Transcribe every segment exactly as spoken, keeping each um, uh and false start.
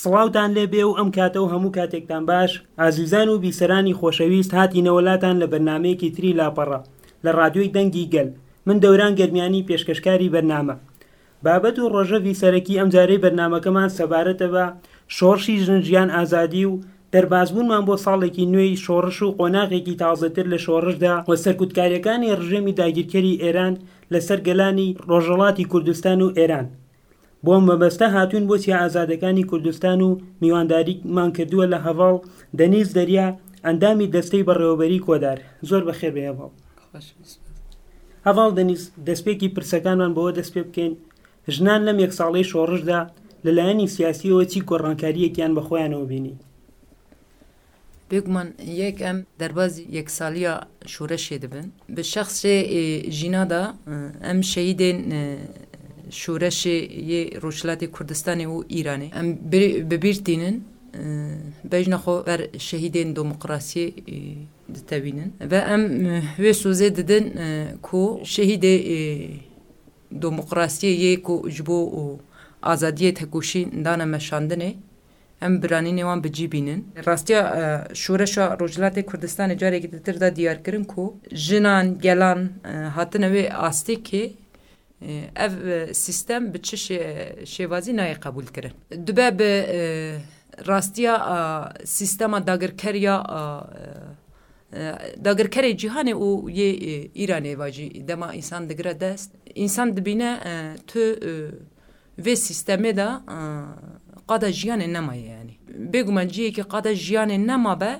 سڵاوتان لێ بێ و ئەم کاتە و هەموو کاتێکتان باش. ئازیزان و بیسەرانی خۆشەویست، هاتینەوە لاتان لە بەرنامەیەکی تری لاپەڕە لە ڕادیۆی دەنگی گەل. من دەوران گەرمیانی پێشکەشکاری بەرنامە. بابەت و ڕۆژەڤی سەرەکی ئەم جارەی بەرنامەکەمان سەبارەتە بە شۆڕشی ژن ژیان ئازادی و دەربازبوونمان بۆ ساڵێکی نوێی شۆڕش و قۆناغێکی تازەتر لە شۆڕشدا و سەرکوتکاریەکانی ڕژێمی داگیرکەری ئێران لەسەر گەلانی ڕۆژهەڵاتی کوردستان و ئێران. بۆ مەبەستە هاتوون بۆ چیا ئازادەکانی کوردستان و میوانداریمان کردووە لە هەڤاڵ دەنیز دەریا، ئەندامی دەستەی بەڕێوەبەری کۆدار. زۆر بەخێر بێ هەڤاڵ. هەڤاڵ دەنیز، دەستپێکی پرسەکانمان بەوە دەست پێ بکەین، ژنان لەم یەک ساڵەی شۆڕشدا لەلایەنی سیاسیەوە چی گۆڕانکاریەکیان بە خۆیانەوە بینی؟ بێگومان یەک ئەم دەربازی یەکسالیە شورەشێ دەبن. Bi şexsê ê jîna de em şehîdên şoreşê yê Rojhilatê Kurdistanê û Îranê em bi bîr tînin. Bejna xwe ber şehîdên demokrasiyê ditewînin ve em wê sozê didin ku şehîdê demokrasiyê yê ku ji bo azadiyê tekoşîn dane meşandinê, em biranînê wan bi cî bînin. Rastiya şoreşa Rojhilatê Kurdistanê carekî ditir da diyarkirin ku jinan, gelan hatine wê astêkê, ev sîstem bi çi şêvazî nayê qebûlkirin. Dibe bi rastiya sîstema dagirkeriya dagirkerê cîhanê û yê Îranê vajî dema însan digire dest, însan dibîne tu vê sîstemê de qada jiyanê nemaye yanî. Bêguman ciyekî qada jiyanê nemabe,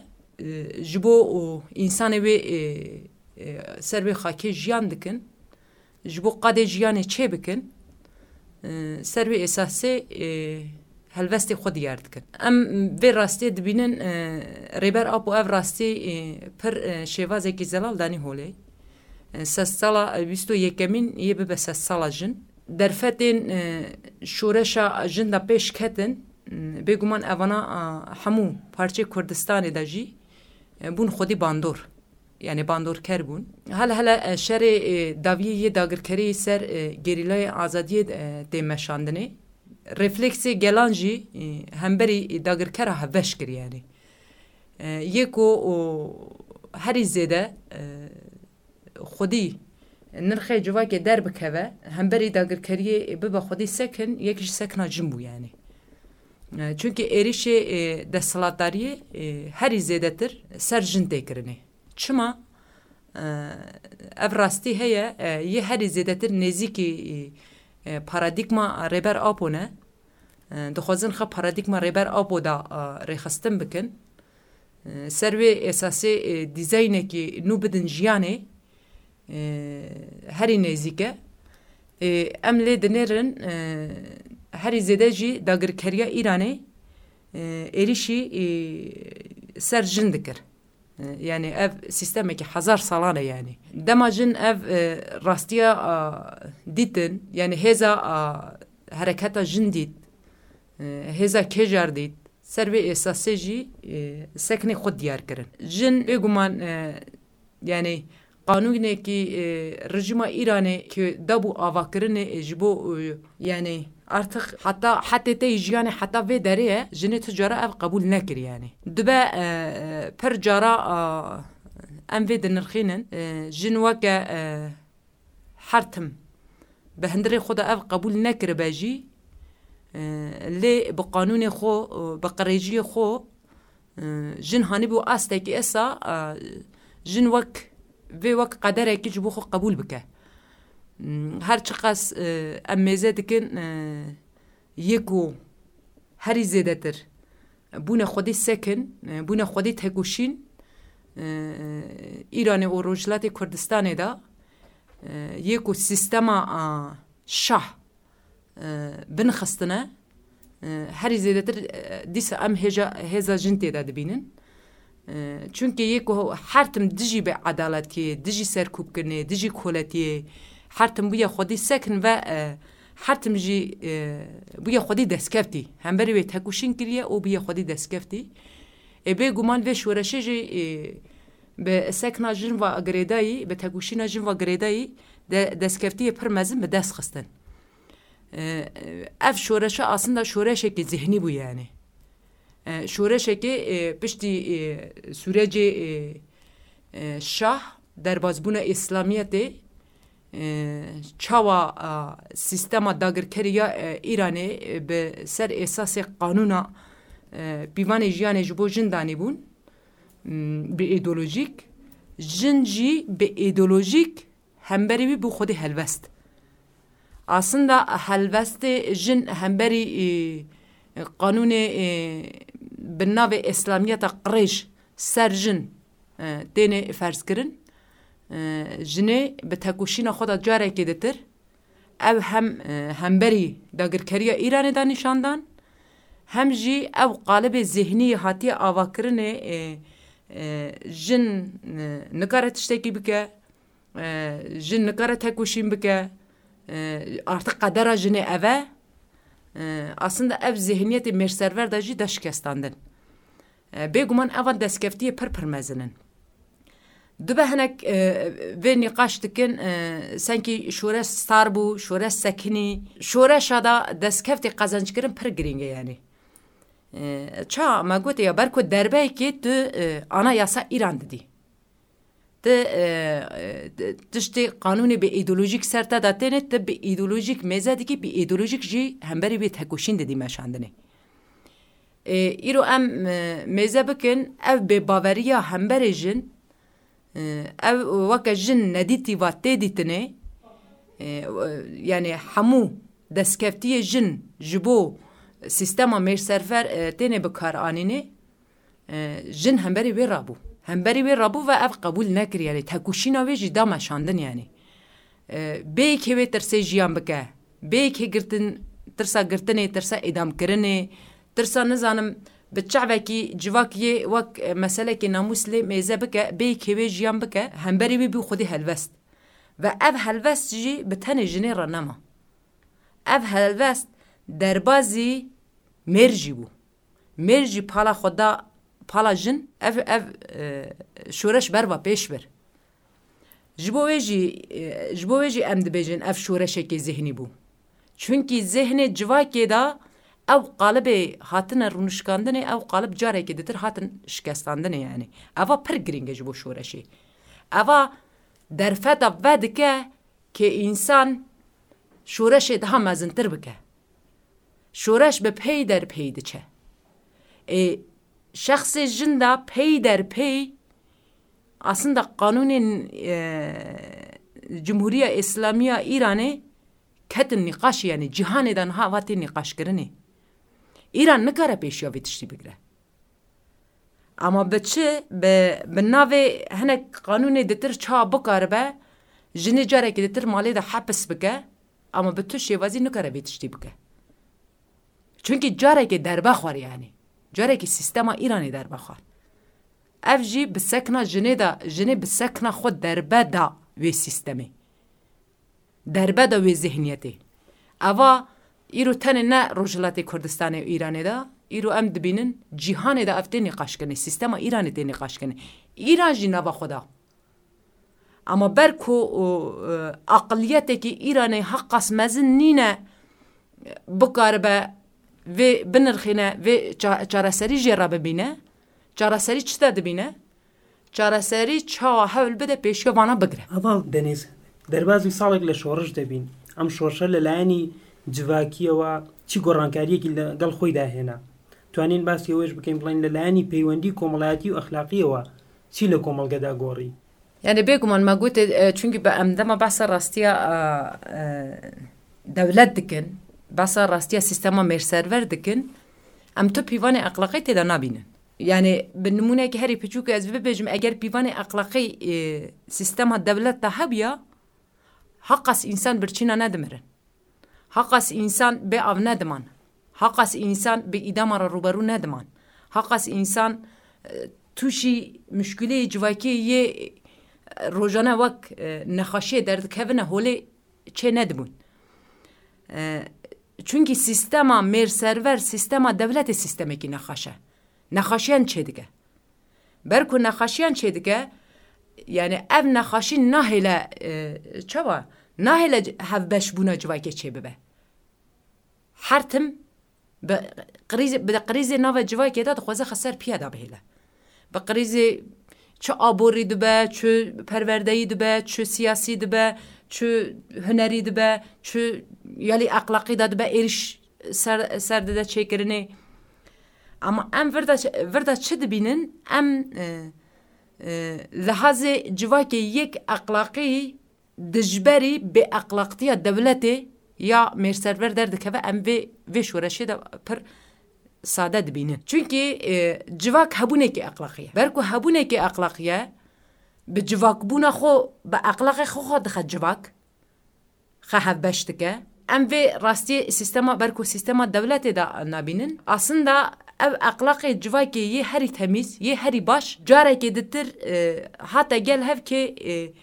ji bo û însanê wê ser wê xakê jiyan dikin, ji bo qadê jiyanê çê bikin, ser wê esasê helvestê xwe diyar dikin. Em vê rastiyê dibînin, Rêber Apo ev rastî pir şêvazekî zelal danî holê. Sedsala bîst û yekemîn yê bibe sedsala jin. Derfetên şoreşa jin de pêş ketin, bêguman evana hemû parçeyê Kurdistanê de jî bûn xwedî bandor. Yanî bandorker bûn. Hele hele şerê dawiyê yê dagirkeriyê ser gerîlayê azadiyê tê meşandinê. Refleksê gelan jî hemberî dagirkera hevbeş kir yanî. Yê ku herî zêde xwedî nirxê civakê derbikeve, hemberî dagirkeriyê bibe xwedî sekin, yek ji sekna jin bû yanî. Çunkî êrîşê desthilatdariyê herî zêdetir ser jin tê kirinê. Çima? Ev rastî heye, yê herî zêdetir nêzîkî paradîgma Rêber Apo ne. Dixwazin xwe paradîgma Rêber Apo da rêxistin bikin. Ser wê esasê dîzaynekî nû bidin jiyanê, herî nêzîk e. Em lê dinêrin, herî zêde jî dagirkeriya Îranê êrîşî ser jin dikir. Yanî ev sîstemekî hezar salan e yanî. Dema jin ev rastiya dîtin, yanî hêza hereketa jin dît, hêza kêjar dît, ser vê esasê jî sekinê xwe diyar kirin. Jin bêguman, yanî qanûnekî rejîma Îranê ku dabû avakirinê ji bo, yanî artık heta hetê te yî jiyanê heta vê derê ye, jinê tu cara ev qebûl nekir yanî. Dibe pir cara em vê dinirxînin, jin weke her tim bi hundirê xwe de ev qebûl nekiribe jî, lê bi qanûnê xwe, bi qirêjiyê xwe, jin hanîbû astekî esa, jin wek vê wek qederekî ji bo xwe qebûl bike. Her çiqas em mêze dikin, yê ku herî zêdetir bûne xwedî sekin, bûne xwedî tekoşîn, Îranê û Rojhilatê Kurdistanê de, yê ku sîstema şah binixistine, herî zêdetir dîsa em hêja, hêza jin tê de dibînin. Çunkî yê ku her tim dijî bêedaletiyê, dijî serkûbkirinê, dijî koletiyê, her tim bûye xwedî sekin ve, her tim jî bûye xwedî destkeftî. Hemberî wê tekoşîn kiriye û bûye xwedî destkeftî. Ê bêguman vê şoreşê jî bi sekna jin ve girêdayî, bi tekoşîna jin ve girêdayî de destkeftiyê pir mezin bi dest xistin. Ev şoreşe aslında şoreşekî zihnî bû yanî. E, şoreşekê, e, piştî, e, sûrecê, e, e, şah, derbazbûna Îslamiyetê, e, çawa, e, sîstema dagirkerî ya, e, Îranê, e, bi ser esasê qanûna, e, pîvanê jiyanê ji bo jin danîbûn, m, bi îdeolojîk, jin jî bi îdeolojîk hemberî wî bû xwedî helwest. Aslında helwestê jin hemberî, e, qanûnê, e, bi navê Îslamiyeta qirêj ser jin, e, têne ferzkirin. E, jinê bi tekoşîna xwe de carekê ditir, ew hem, e, hemberî dagirkeriya Îranê de nîşan dan, hem jî ew qalibê zêhnî hatiye avakirinê, e, e, jin, e, nikare tiştekî bike, e, jin nikare tekoşîn bike, e, artık qedera jinê ev e. E, aslında ev zêhniyetê mêrserver de jî de şikestandin. E, bêguman evan destkeftiyê pir pir mezin in. Dibe hinek, e, vê nîqaş dikin, e, senkî şoreş star bû, şoreş sekinî. Şoreşa da destkeftê qezençkirin pir girîng e yanî. E, ça me gotê ya ber ku derbeyekê tu, e, anayasa Îran didî. Ti, e, e, tiştê qanûnê bi îdeolojîk ser te de têne, ti bi îdeolojîk mêze dikî, bi îdeolojîk jî hemberî wê tekoşîn didî meşandinê. E, îro em, e, mêze bikin, ev bêbaveriya hemberê jin, e, ev weke jin nedîtî va tê dîtinê, e, yanî hemû destkeftiyê jin ji bo sîstema mêrserfer, e, têne bi kar anînê, e, jin hemberî wê rabû. Hemberî wê rabû ve ev qebûl nekir, yanî tekoşîna wê jî da meşandin yanî. E, bêyekê wê tirsê jiyan bike, bêyekê girtin, tirsa girtinê, tirsa îdamkirinê, tirsa nizanim bi çavekî civak yê wek, e, meselekê namûs lê mêze bike, bêyekê wê jiyan bike, hemberî wê bû xwedî helwest. Ve ev helwest jî bi tenê jinê re nema. Ev helwest derbazî mêr jî bû. Mêr jî pala xwe da pala jin, ev, ev, e, şoreş berva pêş bir. Ji bo wê jî, e, ji bo wê jî em dibêjin ev şoreşekê zihnî bû. Çunkî zihnê civakê de ew qalibê hatine rûnişkandinê, ew qalib carekê ditir hatin şikestandinê yanî. Eva pir girîng e ji bo şoreşê. Eva derfeta vedike kê însan şoreşê daha mezintir bike. Şoreş bi pey der pey diçe. Ê, şexsê jin de pey der pey aslında qanûnên, e, Cumhuriya Îslamiya Îranê ketin nîqaşê, yanî cîhanê de niha va tê nîqaşkirinê. Îran nikare pêşiya vê tiştî bigire. Ama bi çi? Bi, bi navê hinek qanûnê ditir çawa bikaribe, jinê carekê ditir malê de hepis bike, ama bi tu şêwazî nikare vê tiştî bike. Çunkî carekê derbe xwar yanî. Carekê sîstema Îranê derbe xwar. Ev jî bi sekna jinê de, jinê bi sekna xwe derbe da wê sîstemê. Derbe de wê zihniyetê. Eva îro tenê ne Rojhilatê Kurdistanê û Îranê de, îro em dibînin cîhanê de ev tê nîqaşkirinê, sîstema Îranê tê nîqaşkirinê. Îran jî nava xwe da. Ama ber ku, o, e, aqiliyetekî Îranê heqas mezin nîne, bikaribe vê binirxîne, vê ça-, çareserî jê re bibîne. Çareserî çi de dibîne? Çareserî çawa hewl bide pêşiya vana bigire. Heval Denîz, derbazî salek li şoriş de bîn. Em şorşe li layenî civakiyewa çi gorankariyekî li gel xwe de hêne? Tuanîn basî wê jî bikin, bilên li layenî peywendî komelayetî û exlaqiyewa çi li komelge de gorî? Yani bêguman me gote, e, çunkî bi em dema behsa rastiya, e, e, dewlet dikin, behsa rastiya sîstema mêrserver dikin, em tu pîvanê exlaqî tê de nabînin. Yani bi nimûneyekî herî piçûk ez bibêjim, eger pîvanê exlaqî, e, sîstema dewlet de hebiya, heqas însan birçîna nedimirin. Heqas însan bê av nediman. Heqas însan bi îdama re rûberû nediman. Heqas însan, e, tûşî muşkileyê civakiyê yê, e, rojane wek, e, nexaşiyê derdikevine holê çê nedibûn. E, çunkî sîstema mêrserver, sîstema dewletê sîstemekî nexaş e. Nexaşiyan çêdike. Ber ku nexaşiyan çêdike, yani ev nexaşî nahêle, e, çawa? Nahêle c-, hevbeşbûna civakê çêbibe. Her tim Bi qrîzê, bi qrîzê nava civakê de dixwaze xwe ser piya de bihêle. Bi qrîzê çi aborî dibe, çi perwerdeyî dibe, çi siyasî dibe, çi hunerî dibe, çi yalî exlaqî de dibe, êrîş ser, ser dide çêkirinê. Ama em vir de, vir de çi dibînin? Em, e, e, lihazê civakê yek exlaqî dijberî bêexlaqtiya dewletê ya mêrserber derdikeve, em vê, vê şoreşê de pir sade dibînin. Çunkî, e, civak hebûnekî exlaqî ye. Ber ku hebûnekî exlaqî ye, bi civakbûna xwe, bi exlaqê xwe xwe dixe civak, xwe hevbeş dike. Em vê rastiyê sîstema, ber ku sîstema dewletê de nabînin. Aslında ev exlaqê civakê yê herî temîz, yê herî baş, carekê ditir, e, hate gel hevkê, e,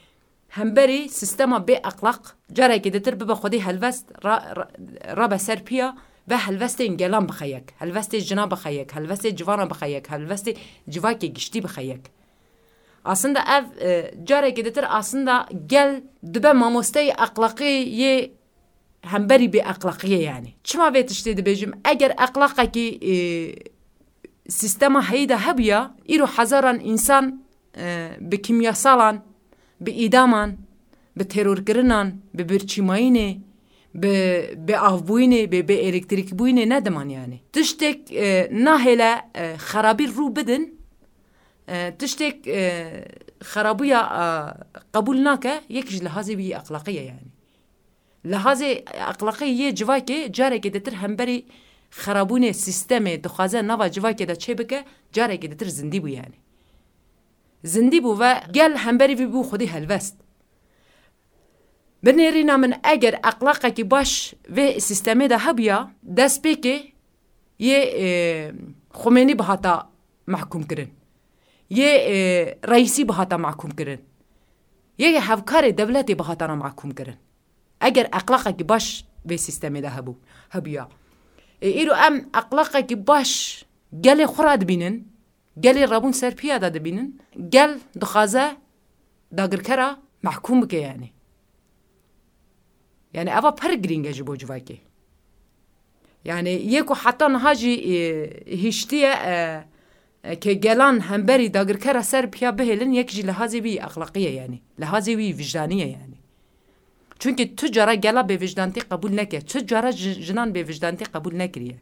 hemberî sîstema bê exlaq, carekê ditir bibe xwedî helwest, ra-, ra-, rabe ser piya ve helwestên gelan bixe yek, helwestê jina bixe yek, helwestê civana bixe yek, helwestê civakê giştî bixe yek. Aslında ev, e, carekê ditir aslında gel dibe mamosteyê exlaqî yê hemberî bê exlaqiyê yani. Çima vê tiştê dibêjim? Eger exlaqekî, e, sîstema heyî de hebûya, îro hezaran însan, e, bi kîmyasalan, bi îdaman, bi terorkirinan, bi birçîmayînê, bi, bi avbûyînê, bi, bi elektrîkbûyînê nediman yani. Tiştek, e, nahêle, e, xerabî rû bidin, e, tiştek, e, xerabûya, e, qebûl nake, yek ji lihazê wî exlaqî ye yani. Lihazê exlaqî yê civakê carekê ditir hemberî xerabûnê sîstemê dixwaze nava civakê de çêbike, carekê ditir zindî bû yani. Zindî bû ve gel hemberî vî bû xwedî helwest. Binêrîna min eger exlaqekî baş vê sîstemê de hebûya, destpêkê yê, e, Xumênî bihata mehkûm kirin. Yê, e, Reîsî bihata mehkûm kirin. Yê hevkarê dewletê bihatana mehkûm kirin. Eger exlaqekî baş vê sîstemê de hebû, hebûya. Ê, îro em exlaqekî baş gelê xwe re dibînin, gelê rabûn ser piya de dibînin, gel dixwaze dagirkera mehkûm bike yani. Yani eva pir girîng e ji bo civakê. Yani yê ku heta niha jî, e, hiştiye, e, e, ke gelan hemberî dagirkera ser piya bihêlin, yek jî lihazê wî exlaqî ye yani. Lihazê wî wijdanî ye yani. Çunkî tu cara gela bêvijdantî qebûl neke, tu cara ji-, jinan bêvijdantî qebûl nekiriye.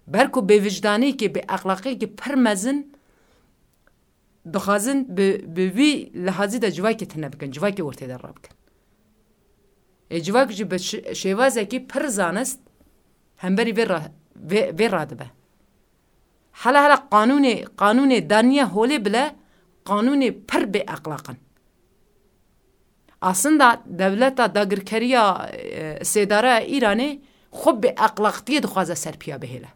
Ber ku bêvijdanîkê, bêexlaqîkê pir mezin dixwazin bi, bi vî lihazî de civakê tune bikin, civakê ortê de rabikin. Ê civak jî bi şi-, şêwazekî pir zanist hemberî vê ra-, vê, vê radibe. Hela hela qanûnê, qanûnê daniye holê bile qanûnê pir bêexlaq in. Aslında dewleta dagirkeriya, e, sêdara Îranê xwe bêexlaqtiyê dixwaze ser piya bihêle.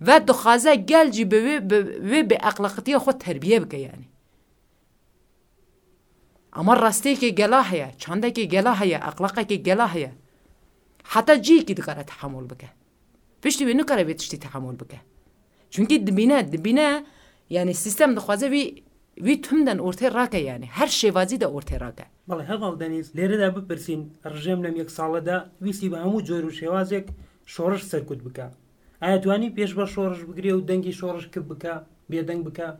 Ve dixwaze gel jî bi wê, bi wê bêexlaqtiya xwe terbiye bike yani. Ama rastiyekê gela heye, çandekê gela heye, exlaqekê gela heye. Heta cihekî dikare tehamûl bike. Piştî wê nikare vê tiştî tehamûl bike. Çunkî dibîne, dibîne, yani sîstem dixwaze wî, wî timden ortê rake yani. Her şêwazî de ortê rake. بەڵێ، هەڤاڵ دەنیز، لێرەدا بپرسین، ڕژێم لەم یەک ساڵەدا ویستی بە هەموو جۆر و شێوازێک شۆڕش سەرکوت بکا. ئایا توانی پێش بە شۆڕش بگرێ و دەنگی شۆڕش کپ بکا، بێدەنگ بکا؟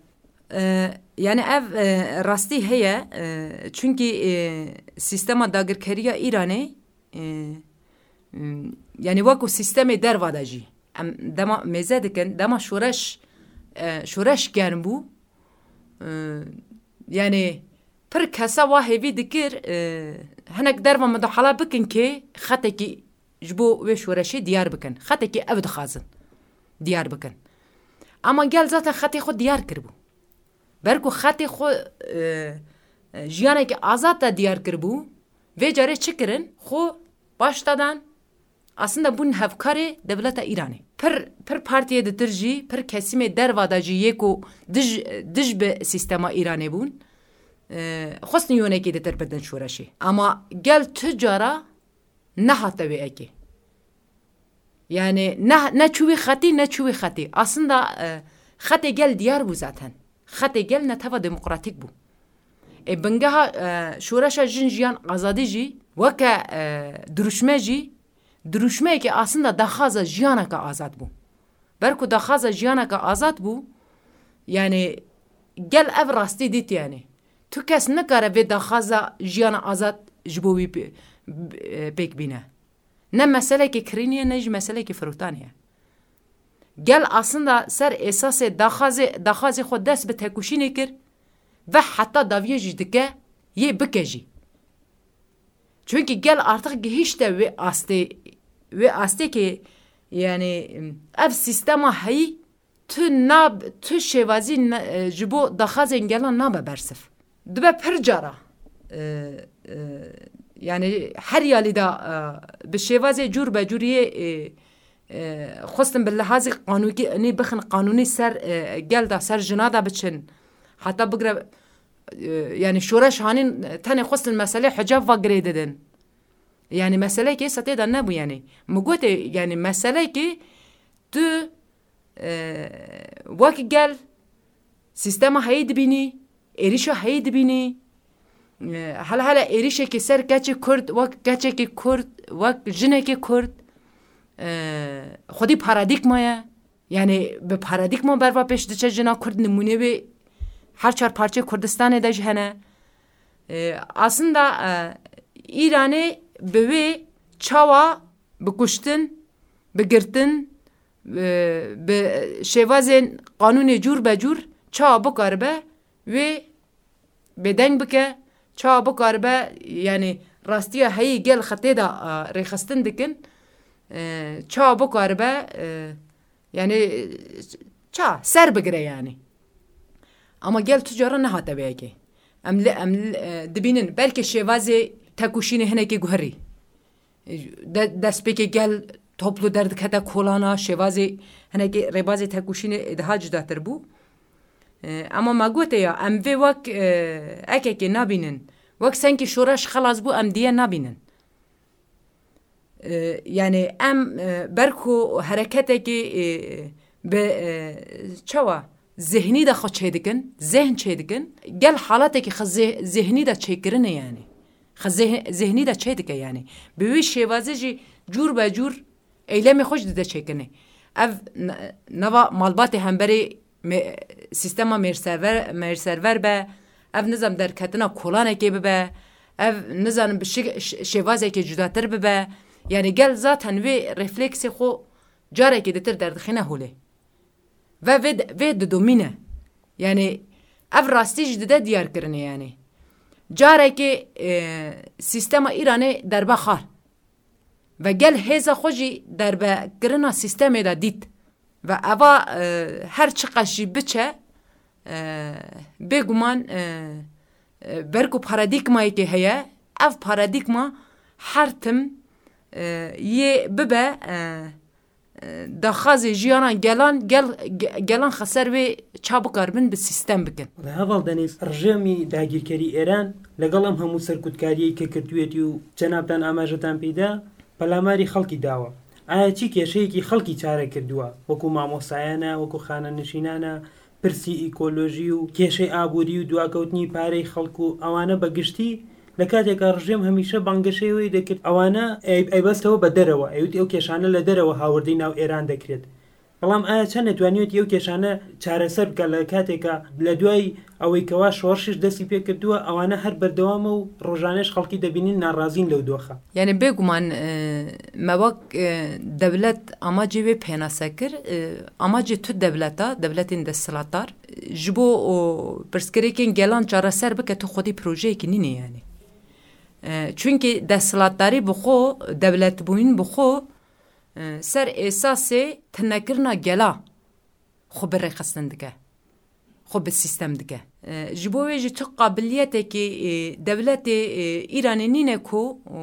E, yani ev, e, rastî heye, e, çunkî, e, sîstema dagirkeriya Îranê, e, m, yani wek ku sîstemê derva de jî, em dema mêze dikin, dema şoreş, e, şoreş germ bû, e, yani pir kesa wa hêvî dikir, e, hinek derva mudahala bikin kê xetekî ji bo wê şoreşê diyar bikin. Xetekî ev dixwazin diyar bikin. Ama gel zaten xetê xwe diyar kiribû. Ber ku xetê xwe, e, e, jiyanekî azad de diyar kiribû, vê carê çi kirin? Xwe baş dadan, aslında bûn hevkarê dewleta Îranê. Pir, pir partiyê ditir jî, pir kesîmê derva de jî yê ku dij, dij bi sîstema Îranê bûn, e, xwestin yonekê ditir bidin şoreşê. Ama gel tu cara nehate wê ekê. Yani ne, ne çû wî xetî, ne çû wî xetî. Aslında, e, xetê gel diyar bû zaten. Xetê gel neteva demokratîk bû. E, bingeha, e, şoreşa jin jiyan azadî jî weke, e, dirûşme jî dirûşmeyekê aslında daxwaza jiyaneke azad bû. Ber ku daxwaza jiyaneke azad bû, yani gel ev rastî dît yani. Tu kes nikare vê daxwaza jiyana azad ji bo wî pê-, e, pêk bîne. Ne meselekê kirînê ye, ne jî meselekê firotanê ye. Gel aslında ser esasê daxwazê, daxwazê xwe dest bi tekoşînê kir ve heta daviye jî dike, yê bike jî. Çünkü gel artık gihişte wê astê, wê astê ki, yani, ev sistema heyî tu nab-, tu şêwazî ne-, e, ji bo daxwazên gelan nabe bersiv. Dibe pir cara, e, e, yani her yalî de, e, bi şêwazê cûr be cûr yê, e, e, xwestin bi lihazî qanûnî bixin qanûnî ser, e, gel de ser jina de biçin. Heta bigre, e, yani şoreş hanîn tenê xwestin meselê hicab ve girê didin. Yani meseleyekê setê de nebû yani. Min gotê yani meseleyekê tu, e, wek gel sîstema heyî dibînî, êrîşa heyî dibînî, e, hele hele êrîşekê ser keçê Kurd, wek keçekê Kurd, wek jinekê Kurd, e, xwedî paradîgma ye. Yani bi paradîgma berva pêş diçe jina Kurd nimûnê wê her çar parçeyê Kurdistanê de jî hene. E, aslında, e, Îranê bi wê çawa bi kuştin, bi girtin, e, bi şêwazên qanûnê cûr be cûr çawa bikaribe wê bêdeng bike, çawa bikaribe, yani rastiya heyî gel xetê de, e, rêxistin dikin, e, çawa bikaribe, e, yani, e, ça, ser bigire yani. Ama gel tu cara nehate vê yekê. Em li, em li, e, dibînin, belkê şêwazê tekoşînê hinekê guherî. De-, destpêkê gel toplu derdikete kolana, şêwazê hinekê rêbazê tekoşînê daha cudatir bû. E, ama me gote ya, em vê wek, e, ekekê nabînin. Wek senkî şoreş xelas bû, em diye nabînin. E, yani em, e, ber ku hereketekî, e, bi, e, çawa zihnî de xwe çêdikin, zehn çêdikin, gel halatekî xwe zeh-, zihnî de çêkirine yani. Xwe zeh-, zihnî de çêdike yani. Bi wî şêwazê jî cûr be cûr eylemê xwe jî dide çêkirinê. Ev n-, nava malbatê hemberê me-, sîstema mêrserver, mêrserver be, ev nizam derketina kolanekê bibe, ev nizanim bi şi-, ş-, şêvazekê cudatir bibe. Yani gel zaten wê refleksê xwe carekê ditir derdixîne holê. Ve vê, vê didomîne. Yani ev rastî jî dide diyar kirine yani. Carekê, e, sîstema Îranê derbe xar. Ve gel hêza xwe jî derbe kirina sîstemê de dît. Ve eva, e, her çiqas jî biçe, e, bêguman, e, e, ber ku paradîgmayekê heye, ev paradîgma her tim, e, yê bibe, e, e, daxwazê jiyana gelan, gel-, ge-, gelan xeser wê ça bikaribin bi sîstem bikin. Heval Denîz, rejêmî dagîrkerî Êran لەگەڵ ئەم هەموو سەرکوتکاریەی کە کردوویەتی و جەنابتان ئاماژەتان پێدا، پەلاماری خەڵکی داوە. ئایا چی کێشەیەکی خەڵکی چارە کردووە؟ وەکو مامۆستایانە، وەکو خانەنشینانە، پرسی ئیکۆلۆژی و کێشەی ئابووری و دواکەوتنی پارەی خەڵک و ئەوانە بە گشتی، لە کاتێکا ڕژێم هەمیشە بانگەشەی ئەوەی دەکرد ئەوانە ئەی-، ئەیبەستەوە بە دەرەوە، ئەیوت ئەو کێشانە لە دەرەوە هاوردەی ناو ئێران دەکرێت. بەڵام ئایا چەند نەتوانیوێتی ئەو کێشانە چارەسەر بکات لە کاتێکا لە دوای ئەوەی کەوا شۆڕشیش دەستی پێ کردووە، ئەوانە هەر بەردەوامە و ڕۆژانەش خەڵکی دەبینین ناڕازین لەو دۆخە؟ یعنی بێگومان، ئە، me wek, ئە، dewlet amacê wê pênase kir, ئە، amacê tu dewleta, dewletên desthilatdar, ji bo, o, pirsgirêkên gelan çareser bike, tu xwedî projeyekî nîne yani. ئە، چونکی دەستهەڵاتداری bi xwe, dewletbûyîn bi xwe, ئە، ser êsasê tinekirina gela xwe bi rêxistin dike, xwe bi sîstem dike. ئە، ji bo wê jî tu qabiliyetekî, ئە، dewletê، ئە، Îranê nîne ku، ئە،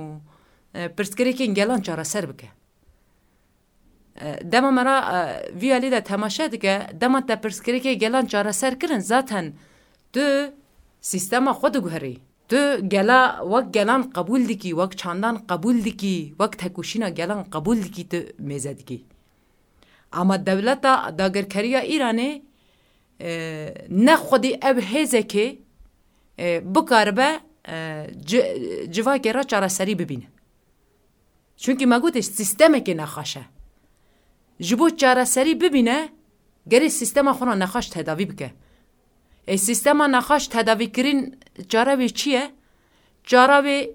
ئە، pirsgirêkên gelan çareser bike. ئە، dema me re، ئە، vî alî de temaşe dike، dema te pirsgirêkê gelan çareser kirin، zaten tu sîstema xwe diguherî. Tu gela wek gelan qebûl dikî, wek çandan qebûl dikî, wek tekoşîna gelan qebûl dikî, tu mêze dikî. Ama dewleta dagirkeriya Îranê، ئە، ne xwedî ev hêzekê، ئە، bikaribe، ئە، ci-، civakê re çareserî bibîne. Çunkî me gotê sîstemekê nexweş e. Ji bo çareserî bibîne, gerê sîstema xwe re nexweş tedavî bike. Ê sîstema nexweş tedavîkirin çare wê çi ye? Çare wê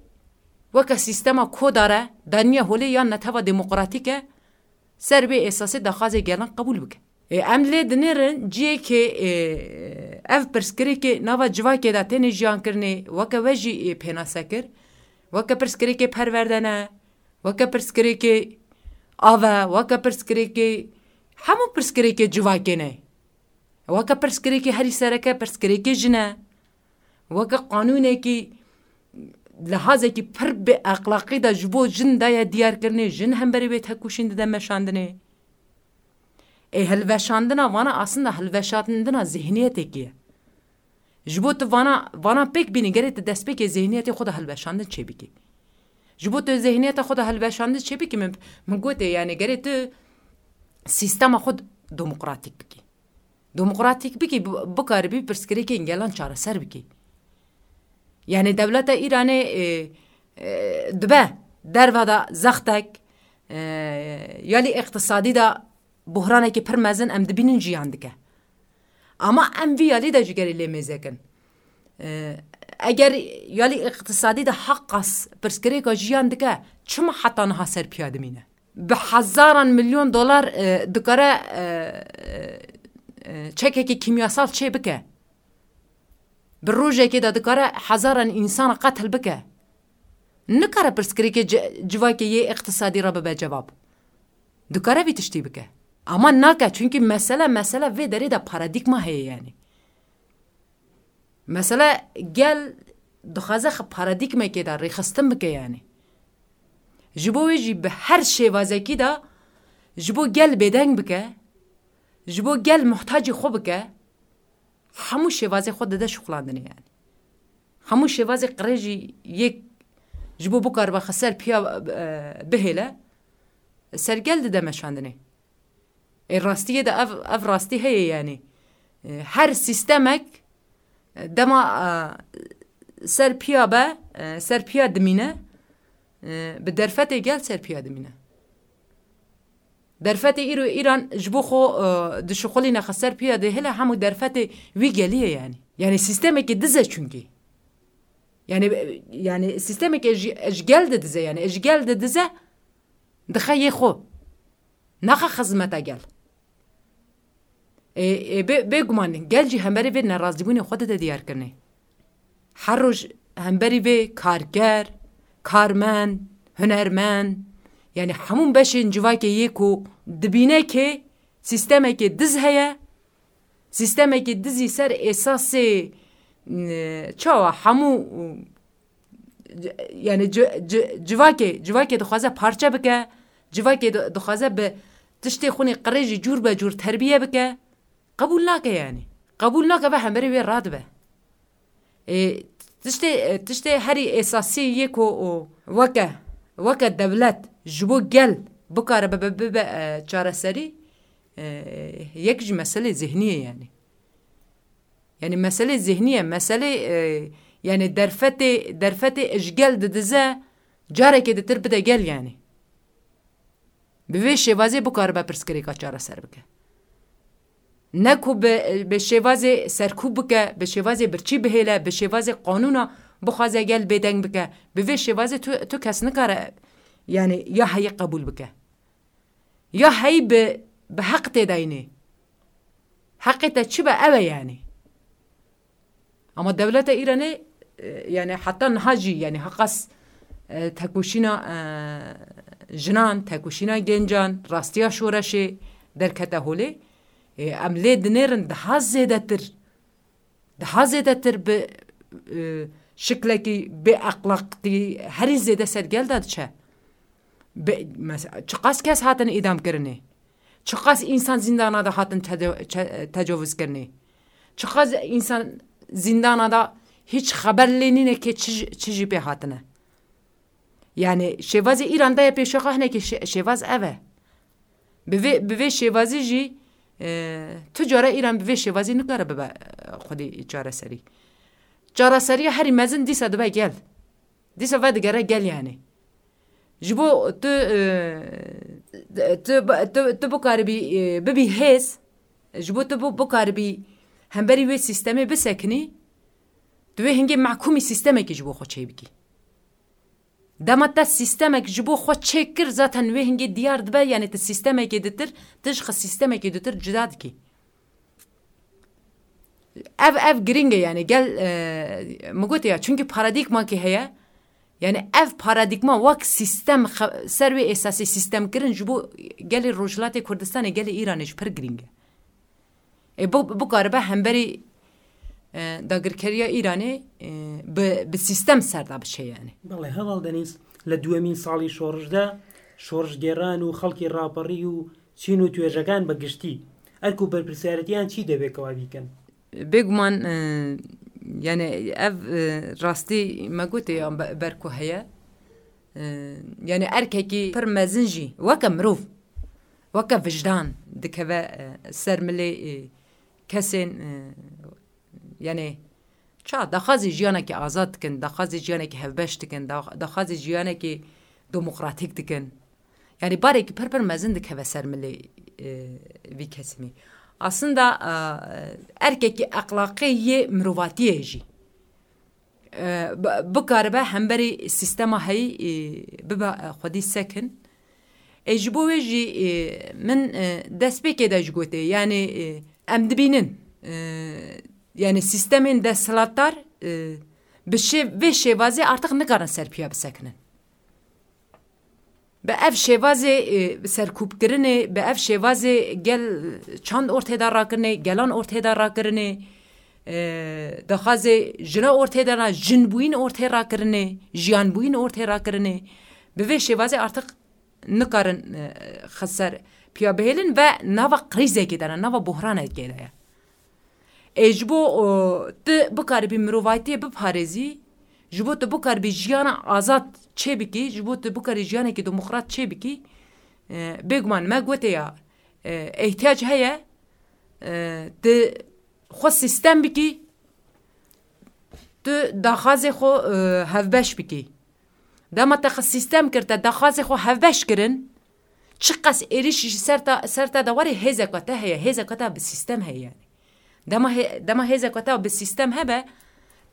weke sîstema koda re, daniye holê yan netewa demokratîk e, ser vê esasê daxwazê gelan qebûl bike. Ê, em lê dinêrin ciyekê, ê, ev pirsgirêkê nava civakê de têne jiyan kirinê, weke we jî, ê, pênase kir, weke pirsgirêkê perwerde ne, weke pirsgirêkê av e, weke pirsgirêkê, hemû pirsgirêkê civakê ne. Weke pirsgirêkê herî sereke pirsgirêkê jin e. Weke qanûnekî lihazekî pir bi exlaqî de ji bo jin daye diyarkirinê, jin hemberî wê tekoşîn dide meşandinê. Ê hilweşandina vana aslında hilweşandina zihniyetekî ye. Ji bo tu vana, vana pêk bînî, gerê tu destpêkê zihniyetê xwe de hilweşandin çêbikî. Ji bo tu zihniyeta xwe de hilweşandin çêbikî, min, min gotê, yani gerê tu sîstema xwe demokratîk bikî. Demokratîk bikî, bi-, bikaribî pirsgirêkên gelan çareser bikî. Yani dewleta Îranê, e, e, dibe derva de zextek, e, ya lî îqtisadî de buhranekî pir mezin em dibînin jiyan dike. Ama em vî yalî de ji gerî lê mêze kin. E, eger yalî îqtisadî de heqas pirsgirêka jiyan dike, çima heta niha ser piya dimîne? Bi hezaran milyon dolar, e, dikare, e, e, e, çekekî kîmyasal çê bike. Bi rojekê de dikare hezaran însan qetil bike. Nikare pirsgirêkê ci-, civakê yê îqtisadî re bibe cevab. Dikare vî tiştî bike. Ama nake, çunkî mesele, mesele vê derê de paradîgma heye yani. Mesele gel dixwaze xwe paradîgmekê de rêxistin bike yani. Ji bo wê jî bi her şêvazekî de ji bo gel bêdeng bike, ji bo gel muhtacî xwe bike, hemû şêvazê xwe dide şixulandinê yani. Hemû şêvazê qirêjî yek ji bo bikaribe xwe ser piya, e, bihêle, ser gel dide meşandinê. Ê rastiyê de ev, ev rastî heye yani. E, her sîstemek, e, dema, e, ser piya be, e, ser piya dimîne, e, bi derfetê gel ser piya dimîne. Derfetê îro Îran ji bo xwe, e, dişixulîne xwe ser piya dihêle hemû derfetê wî gelî ye yani. Yani sîstemekê diz e çunkî. Yani, yani sîstemekê ji, ji gel de diz e yani. Ji gel de diz e, dixe yê xwe. Naxe xizmeta gel. Ê, ê, bê, bêguman gel jî hemberî vê nerazîbûnê xwe dide diyarkirinê. Her roj hemberî vê karker, karmend, hunermend, yani hemû beşên civakê yê ku dibîne ke sîstemekê diz heye, sîstemekê dizî ser êsasê, n-, çawa hemû, yani ci-, ci-, civakê, civakê dixwaze parçe bike, civakê di-, dixwaze bi tiştê xwinê qirêjî cûr be cûr terbiye bike, qebûl nake yani. Qebûl nake ve hemberî wê radibe. Ê, tiştê, tiştê herî esasî yê ku o weke, weke dewlet ji bo gel bikare bibe, bibe, e, çareserî, e, yek ji meselê zihnî ye yani. Yani meselê zihnî ye, meselê, e, yani derfetê, derfetê ji gel didize, carekê ditir bide gel yani. Bi vê şêvazê bikaribe pirsgirêka çareser bike. Ne ku bi, bi şêvazê serkûb bike, bi şêvazê birçî bihêle, bi şêvazê qanûna bixwaze gel bêdeng bike. Bi vê şêvazê tu, tu kes nikare, yani ya heyî qebûl bike. Ya heyî bi, bi heq têdayînê. Heqê te çi be ew e yani. Ama dewleta Îranê, e, yani heta niha jî, yani heqas, e, tekoşîna, e, jinan, tekoşîna gencan, rastiya şoreşê derkete holê. E, em lê dinêrin daha zêdetir, daha zêdetir bi, e, şiklekî bê exlaqî herî zêde ser gel de diçe. Be, mes-, çiqas kes hatin îdam kirinê? Çiqas însan zîndana de hatin teco-, çe-, tecawizkirinê? Çiqas însan zîndana de hîç xeber lê nîne ke çi ji, çi jî pê hatine? Yani şêvazê Îran daye pêşiya xwe, hinekî şê-, şêvaz ev e. Bi vê, bi vê şêvazî jî, e, tu cara Îran bi vê şêvazî nikare bibe, e, xwedî çareserî. Çareseriya herî mezin dîsa dibe gel. Dîsa vedigere gel yani. Ji bo tu, e, tu, tu, tu bikaribî, e, bibî hêz, ji bo tu bu-, bikaribî hemberî wê sîstemê bisekinî, tu wê hingê mehkûmî sîstemekê ji bo xwe çêbikî. Dema te sîstemek ji bo xwe çêkir, zaten wê hingê diyar dibe, yanî tu sîstemekê ditir, tu ji xwe sîstemekê ditir cuda dikî. Ev, ev giring e, yanî gel, e, min gotê ya, çunkî paradîgmakê heye, yanî ev paradîgma wek sîstem xe-, ser wê esasê sîstem kirin ji bo gelê Rojhilatê Kurdistanê, gelê Îranê jî pir giring e. Ê, bu, bikaribe hemberî, e, dagirkeriya Îranê, e, bi, bi sîstem ser de biçe, yanî. بەڵێ، هەواڵ دەنیز، لە دووەمین ساڵی شۆڕشدا، شۆڕشگێڕان و خەڵکی ڕاپەڕی و چین و توێژەکان بە گشتی، ئەرک و بەرپرسیارەتیان چی دەبێت کەوا بیکەن؟ Bêguman, e, yani ev, e, rastî me gotê ya be-, ber ku heye. E, yani erkekî pir mezin jî weke mirov, weke wijdan dikeve, e, ser milê, e, kesên, e, yani ça daxwazê jiyanekî azad dikin, daxwazê jiyanekî hevbeş dikin, da-, daxwazê jiyanekî demokratîk dikin. Yani barekî pir pir mezin dikeve ser milê, e, vî kesimî. Aslında, e, erkekî exlaqê yê mirovatiyê jî, e, bi-, bikaribe hemberî sîstema heyî, e, bibe, e, xwedî sekin. E, ji bo wê jî, e, min, e, destpêkê de jî gotê, yani, e, em dibînin, e, yani sîstemên desthilatdar, e, bi şê-, vê şêvazê artık nikarin ser piya bisekinin. Bi ev şêvazê, e, serkûbkirinê, bi ev şêvazê gel çand ortê de rakirinê, gelan ortê de rakirinê, e, daxwazê jina ortê de ra-, jinbûyîn ortê rakirinê, jiyanbûyîn ortê rakirinê, bi vê şêvazê artık nikarin, e, xeser piya bihêlin ve nava krîzekê de ne, nava buhranekê de ye. Ê ji bo, o, tu bikaribî mirovatiyê biparêzî, ji bo tu bikaribî jiyana azad çêbikî, ji bo tu bikarî jiyanekî demokrat çêbikî, e, bêguman me gotê ya, e, ihtiyac heye, e, tu xwe sîstem bikî, tu daxwazê xwe, e, hevbeş bikî. Dema te xwe sîstem kir, te daxwazê xwe hevbeş kirin, çiqas êrîş ji ser te, ser te de were, hêzeka te heye, hêzeka te bi sîstem heye yani. Dema hê-, dema hêzeka te bi sîstem hebe,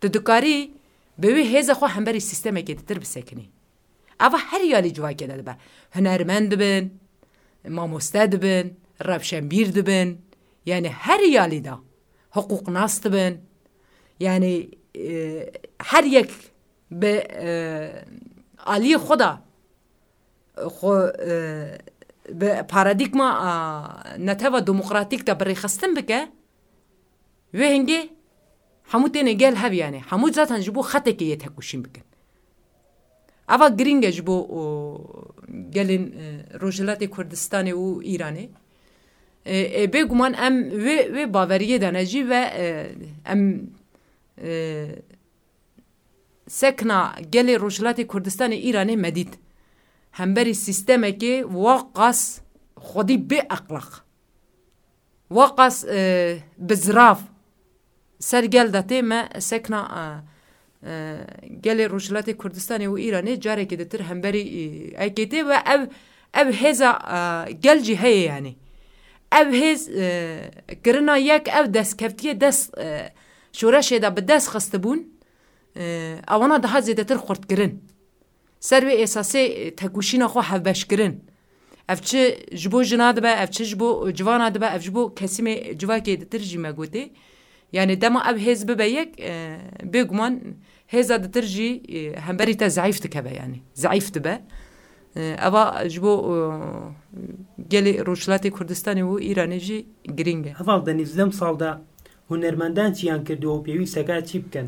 tu dikarî bi wê hêza xwe hemberî sîstemekê ditir bisekinî. Eva her yalî civakê de dibe. Hunermend dibin, mamoste dibin, rewşenbîr dibin. Yani her yalî de. Hiqûqnas dibin. Yani, e, her yek bi, e, aliyê xwe de xwe, e, bi paradîgma, a, neteva demokratîk de bi rêxistin bike, wê hingê hemû têne gel hev, yani hemû zaten ji bo xetekê yê tekoşîn bikin. Eva girîng e ji bo, o, gelên, e, Rojhilatê Kurdistanê û Îranê. E, e, bêguman em wê, wê baweriyê de ne jî ve, e, em, e, sekna gelê Rojhilatê Kurdistanê Îranê me dît. Hemberî sîstemekê waqas xwedî bê exlaq, waqas, e, bi zirav ser gel de tê, me sekna, e, e, gelê Rojhilatê Kurdistanê û Îranê carekê ditir hemberî, e, ekê tê ve ev, ev hêza, e, gel jî heye yani. Ev hêz, e, kirina yek ev destkeftiye dest, e, şoreşê de bi dest xistibûn, e, ewana daha zêdetir xurt kirin. Ser wê esasê, e, tekoşîna xwe hevbeş kirin. Ev çi ji bo jina dibe, ev çi ji bo civana dibe, ev ji bo kesîmê civakê ditir jî me gotê. Yani dema ev hêz bibe yek, e, bêguman hêza ditir jî, e, hemberî te zeîf dikeve yani. Zeîf dibe. E, eva ji bo, e, gelê Rojhilatê Kurdistanê û Îranê jî girîng e. Heval Denîz, lem salda hunermendan çiyan kردووە و پێویستەکە چی بکەن؟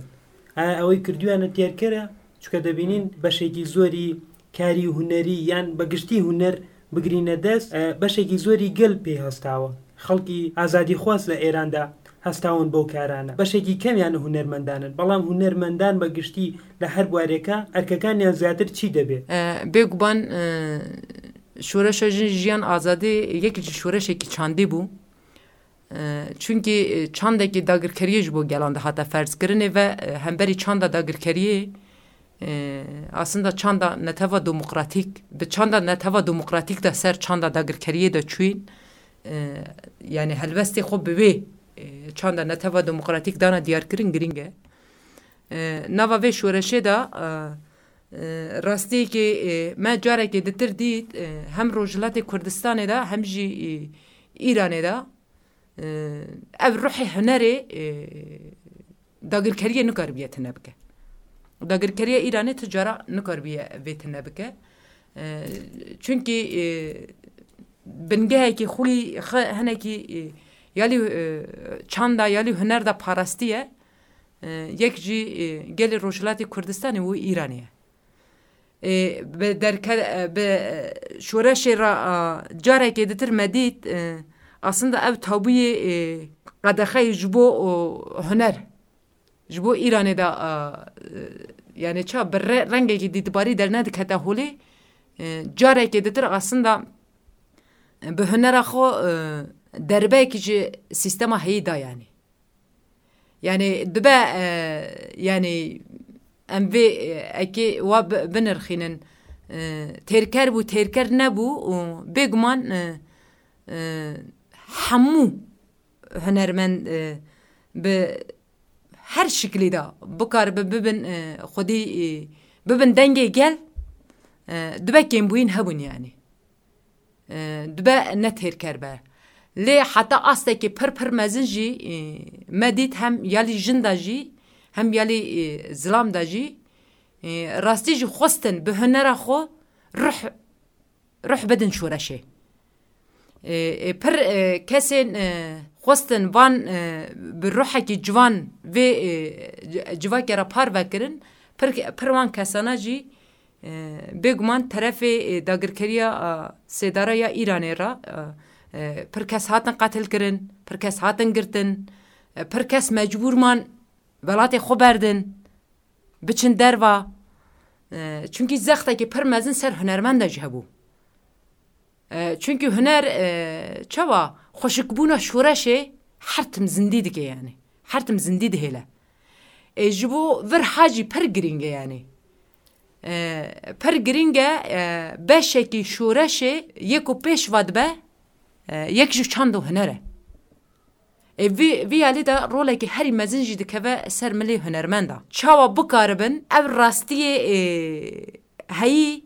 ئایا ئەوەی کردویانە تێرکەرە؟ چونکە دەبینین بەشێکی زۆری کاری هونەری یان بە گشتی هونەر بگرینە دەست، ئە، بەشێکی زۆری گەل پێی هەستاوە. خەڵکی ئازادیخواز لە ئێراندا هەستاون بەو کارانە. بەشێکی کەمیان هونەرمەندانن، بەڵام هونەرمەندان بە گشتی لە هەر بوارێکە ئەرکەکانیان زیاتر چی دەبێت؟ E, bêguman, e, şoreşa jin, jiyan, azadî yek ji şoreşekî çandî bû. E, çunkî, e, çandekî dagirkeriyê ji bo gelan dihate ferzkirinê ve, e, hemberî çanda dagirkeriyê, E, aslında çanda neteva demokratîk, bi çanda neteva demokratîk de ser çanda dagirkeriyê de çûyîn, e, yani helwestê xwe bi wê, e, çanda neteva demokratîk dana diyarkirin girîng e. E, nava vê şoreşê de, e, e, rastiyekê, e, me carekê ditir dît, e, hem Rojhilatê Kurdistanê de hem jî, e, Îranê de, e, ev ruhê hunerê, e, dagirkeriyê nikaribiye tune bike. Dagirkeriya Îranê tu cara nikaribiye vê tune bike. E, çunkî, e, bingehekî xwî xwe hinekî, e, yalî, e, çanda, yalî huner de parastiye. E, yek jî, e, gelê Rojhilatê Kurdistanê û Îranê ye. E, bi derke-, e, bi, e, şoreşê re, e, carekê ditir me dît, e, aslında ev tabûyê, e, qedexeyê ji bo, o, huner, ji bo Îranê de, e, e, yani ça bi re-, rengekî dîtbarî dernedikete holê, e, carekê ditir aslında, e, bi hunera xwe, e, derbeyekî ji sîstema heyî da yani. Yani dibe, e, yani em vê, e, ekê wa bi-, binirxînin. E, têrker bû, têrker nebû û bêguman, e, e, hemû hunermend, e, bi her şiklî de bikaribe bibin, e, xwedî, e, bibin dengê gel, e, dibe kêmbûyîn hebûn yani. E, dibe ne têrker be. Lê heta astekî pir pir mezin jî, e, me dît hem yalî jin de jî, hem yalî, e, zilam de jî, e, rastî jî xwestin bi hunera xwe ruh, ruh bidin şoreşê. E, e, pir, e, kesên, e, xwestin van, e, bi ruhekî ciwan vê, e, ci-, civakê re parve kirin, pir, pir wan kesana jî, e, bêguman terefê, e, dagirkeriya, e, sêdara ya Îranê re, e, e, pir kes hatin qetil kirin, pir kes hatin girtin, e, pir kes mecbûr man welatê xwe berdin, biçin derva. E, çunkî zextekî pir mezin ser hunermenda jî hebû. E, çunkî huner, e, çawa xweşikbûna şoreşê her tim zindî dike yani. Her tim zindî dihêle. E, ji bo vir ha jî pir girîng e yani. E, pir girîng e, e, beşekî şoreşê yê ku pêş ve dibe, e, yek ji çand û huner e. E, vî, vî alî de rolekî herî mezin jî dikeve ser milê hunermenda. Çawa bikaribin ev rastiyê, e, heyî,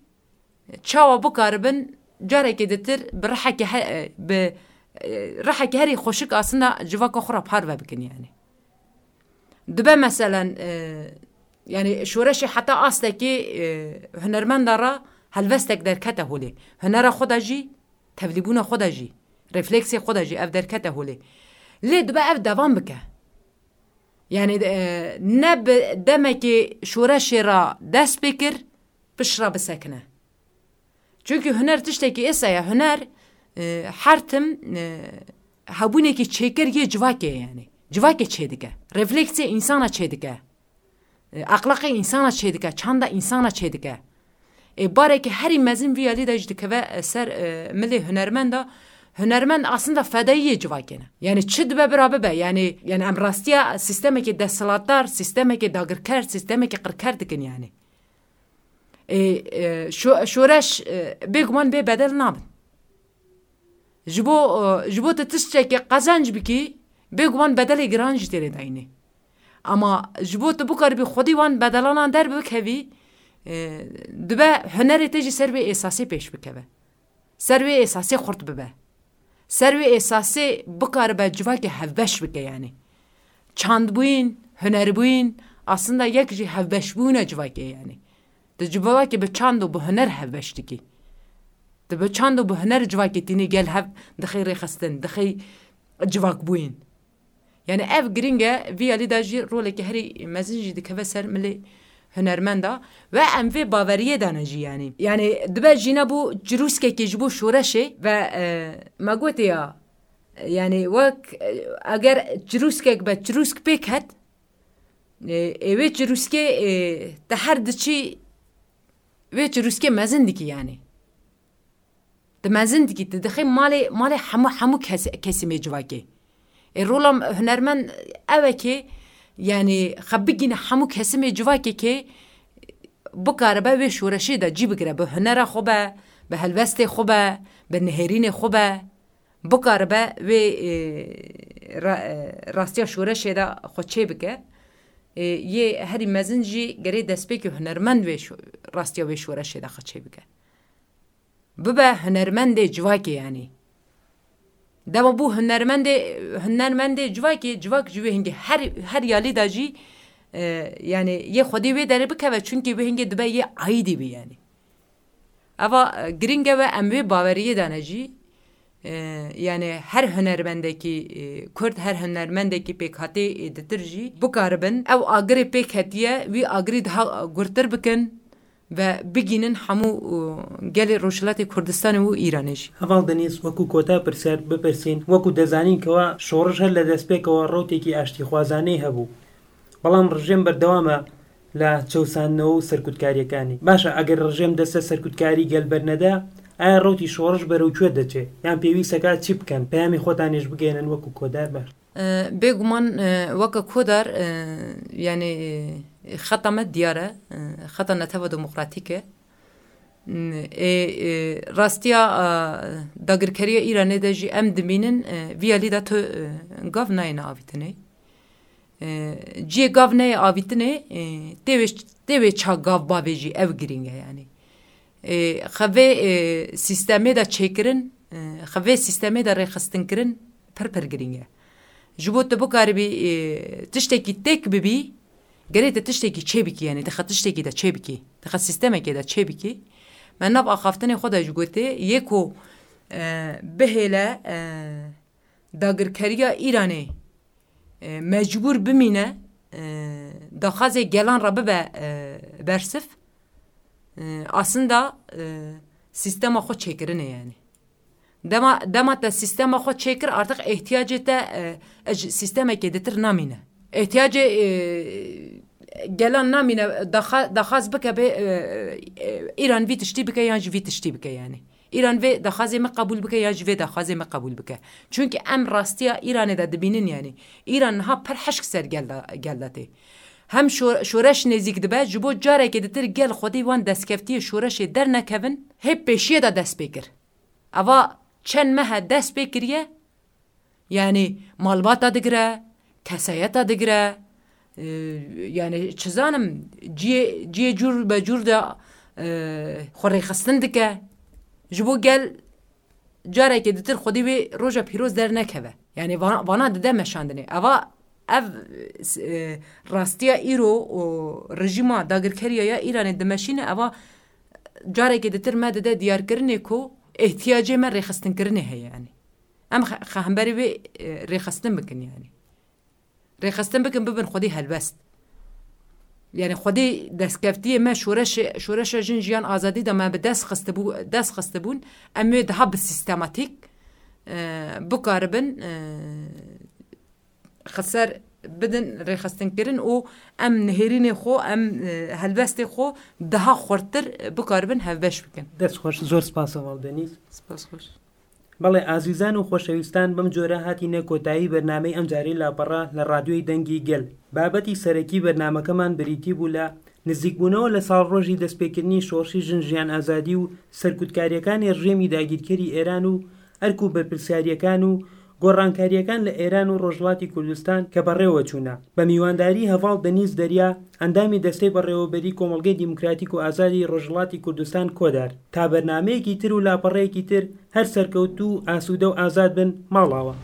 çawa bikaribin carekê ditir bi rihekê he-, e, bi, e, rihekê herî xweşik aslında civaka xwe re parve bikin yani. Dibe meselen, e, yani şoreşê heta astekê, e, hunermenda re helwestek derkete holê. Hunera xwe de jî, tevlîbûna xwe de jî, refleksê xwe de jî ev derkete holê. Lê dibe ev devam bike. Yani, e, ne bi demekê şoreşê re dest pê kir, pişt re bisekine. Çunkî huner tiştekî êsa ye. Huner, e, her tim, e, hebûnekî çêkir yê civakê ye yani. Civakê çêdike. Refleksê însana çêdike. E, exlaqê însana çêdike, çanda însana çêdike. Ê, barekî herî mezin vî alî de jî dikeve, e, ser, e, milê hunermenda. Hunermend aslında fedayiyê civakê ne. Yani çi dibe bira bibe. Yani, yani em rastiya sîstemekê desthilatdar, sîstemekê dagirker, sîstemekê qirker dikin yani. Ê, e, şo-, şoreş, e, bêguman bê bedel nabin. Ji bo, e, ji bo tu tiştekê qezenc bikî, bêguman bedelê giran jî têrê dayînê. Ama ji bo tu bikaribî xwedî wan bedelanan derbikevî, e, dibe hunerê te jî ser vê êsasê pêş bikeve. Ser wê êsasê xurt bibe. Ser wê êsasê bikaribe civakê hevbeş bike yani. Çandbûyîn, hunerbûyîn, aslında yek jî hevbeşbûna civakê yani. Tu civakê bi çand û bi huner hevbeş dikî. Tu bi çand û bi huner civakê tînî gel hev dixê rêxistin, dixê civakbûyîn. Yani ev giring e, vî alî de jî rolekî herî mezin jî dikeve ser milê hunermenda ve em vê baweriyê de ne jî yani. Yani dibe jî nebû çirûskekê ji bo şoreşê ve, e, me gotê ya, yani wek, e, eger çirûskek be, çirûsk pêk het, e, ê wê çirûskê, e, te her diçî wê çirûskê mezin dikî yani. Tu mezin dikî, tu dixê malê, malê hemû, hemû kes-, kesimê civakê. Ê, rola hunermend ew e kê, yani, xwe bigîne hemû kesimê civakê kê, bikaribe wê şoreşê de cî bigire, bi hunera xwe be, bi helwestê xwe be, bi nihêrînê xwe be, bikaribe wê, e, ra-, e, rastiya şoreşê de xwe çê bike. E, yê herî mezin jî gerê destpêkê hunermend wê şo-, rastiya wê şoreşê de xwe çê bike. Bibe hunermendê civakê, yanî. Dema bû hunermendê, hunermendê civakê, civak ji wê hingê her, her yalî de jî, e, yanî yê xwedî wê derê bikeve, çunkî wê hingê dibe yê aîdî bî, yanî. Eva, e, giring e ve em wê baweriyê dane jî, e, yanî her hunermendekî, e, Kurd, her hunermendekî pêkhatê, e, ditir jî bikaribin ew agirê pêk hetiye, wî agirî daha gurtir bikin ve bigînin hemû, e, gelê Rojhilatê Kurdistanê û Îranê jî. Heval Denîz, wekû kota pirsiyar bipirsîn, wekû dezanîn kewa şoriş her li destpêkewa rewtêkî aştîxwazaneyî hebû. Belam rejîm berdewam e li çewsandinê û serkutkariyekê. Baş e, eger rejîm dest li serkutkarî gel bernede, aya rewtî şoriş berewkê diçe? Yan pêwîst e ka çi bikin? Peyamê xwe tanê jî bigihînin wekû kotar ber. E, bêguman, e, weke kodar, e, yanî, e, xeta me diyar e, e, xeta netewa demokratîk e. E, e, rastiya, e, dagirkeriya Îranê de jî em dibînin, e, vî alî de tu, e, gav nayêne avîtinê. E, ciyê gav neyê avîtinê, e, tê wê, tê wê ça gav bavê jî ew girîng e, yanî. E, xevê, e, sîstemê de çêkirin, e, xevê sîstemê de rêxistinkirin pir pir girîng e. Ji bo tu bikaribî, e, tiştekî têk bibî, gerê te tiştekî çêbikî, yanî dixe tiştekî de çêbikî, dixe sîstemekê de çêbikî. Me nav axaftinê xwe de jî gotê, yê ku, e, bihêle, e, dagirkeriya Îranê, e, mecbûr bimîne, e, daxwazê gelan re bibe, e, bersiv, e, aslında, e, sîstema xwe çêkirinê, yanî. Dema, dema te sîstema xwe çêkir, artık ihtiyacê te, e, e, ji sîstemekê ditir namîne. Ihtiyacê, e, gelan namîne, daxa-, daxwaz bike bê, e, e, Îran vî tiştî bike yan jî vî tiştî bike, yanî. Îran vê daxwazê me qebûl bike yan jî vê daxwazê me qebûl bike. Çunkî em rastiya Îranê de dibînin, yanî. Îran niha pir hişk ser gel de, gel de tê. Hem şo-, şoreş nêzîk dibe, ji bo carekê ditir gel xwedî wan destkeftiyê şoreşê dernekevin, hê pêşiyê de dest pê kir. Eva çend meh e dest pê kiriye, yanî malbata digire, kesayeta digire, e, yanî çi zanim, ciyê, ciyê cûr be cûr de, e, xwe rêxistin dike. Ji bo gel carekê ditir xwedî wê roja pîroz dernekeve. Yanî va-, vana dide meşandinê. Eva ev, e, rastiya îro û rejîma dagirkeriya ya Îranê dimeşîne, eva carekê ditir me dide diyarkirinê ku ihtiyacê me rêxistinkirinê heye, yanî. Em xe-, xehemberê wê, e, rêxistin bikin, yanî. Rêxistin bikin, bibin xwedî helbest. Yanî xwedî destkeftiyê me şoreşê, şoreşa jin jiyan azadî de me bi dest xistibû-, dest xistibûn, em wê daha bi sîstematîk, e, bikaribin, e, xeser bidin rêxistinkirin û em nihêrînê xwe, em, e, helbestê xwe daha xurttir bikaribin hevbeş bikin. Dest xweş, zor spas Heval Denîz. Spas xweş. بەڵێ ئازیزان و خۆشەویستان، بەم جۆرە هاتینە کۆتایی بەرنامەی ئەم جارەی لاپەڕە لە ڕادیۆی دەنگی گەل. بابەتی سەرەکی بەرنامەکەمان بریتی بوو لە نزیکبوونەوە لە ساڵڕۆژی دەستپێکردنی شۆڕشی ژن ژیان ئازادی و سەرکوتکاریەکانی ڕژێمی داگیرکەری ئێران و ئەرک و بەرپرسیاریەکان و گۆڕانکاریەکان لە ئێران و ڕۆژهەڵاتی کوردستان کە بەڕێوە چوونە. بە میوانداری هەڤاڵ دەنیز دەریا، ئەندامی دەستەی بەڕێوەبەری کۆمەڵگەی دیموکراتیک و ئازادی ڕۆژهەڵاتی کوردستان کۆدار. تا بەرنامەیەکی تر و لاپەڕەیەکی تر، هەر سەرکەوتوو و ئاسوودە و ئازاد بن، ماڵاوە.